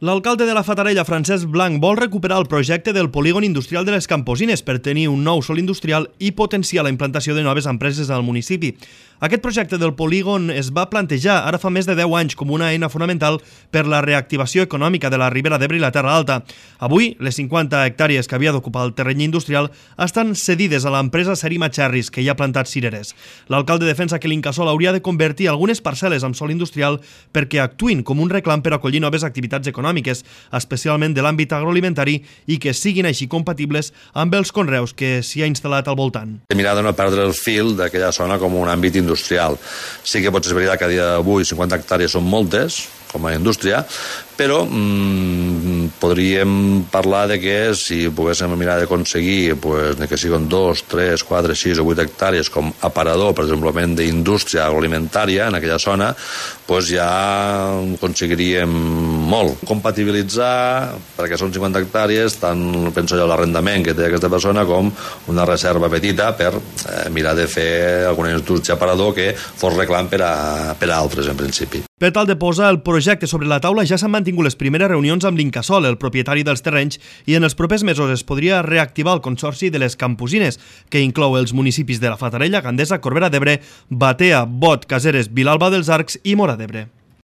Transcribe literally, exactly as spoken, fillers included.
L'alcalde de la Fatarella, Francesc Blanc, vol recuperar el projecte del polígon industrial de les Camposines per tenir un nou sòl industrial i potenciar la implantació de noves empreses al municipi. Aquest projecte del polígon es va plantejar ara fa més de deu anys com una eina fonamental per la reactivació econòmica de la Ribera d'Ebre i la Terra Alta. Avui, les cinquanta hectàrees que havia d'ocupar el terreny industrial estan cedides a l'empresa Serima Cherries, que hi ha plantat cireres. L'alcalde defensa que l'Incasòl hauria de convertir algunes parcel·les en sòl industrial perquè actuïn com un reclam per acollir noves activitats econòmiques, especialment de l'àmbit agroalimentari, i que siguin així compatibles amb els conreus que s'hi ha instal·lat al voltant. He mirat de no perdre el fil d'aquella zona com un àmbit industrial. Sí que pot ser veritat que a dia d'avui cinquanta hectàrees són moltes, com a indústria, però mmm, podríem parlar de que si poguéssim mirar d'aconseguir pues, que siguin dos, tres, quatre, sis o vuit hectàrees com aparador, per exemple, d'indústria agroalimentària en aquella zona, pues ja aconseguiríem molt. Compatibilitzar, perquè són cinquanta hectàrees, tant penso jo l'arrendament que té aquesta persona com una reserva petita per eh, mirar de fer alguna indústria aparador que fos reclam per a, per a altres, en principi. Per tal de posar el projecte sobre la taula ja s'han mantingut les primeres reunions amb l'Incasòl, el propietari dels terrenys, i en els propers mesos es podria reactivar el consorci de les Camposines, que inclou els municipis de la Fatarella, Gandesa, Corbera d'Ebre, Batea, Bot, Caseres, Vilalba dels Arcs i Móra d'Ebre.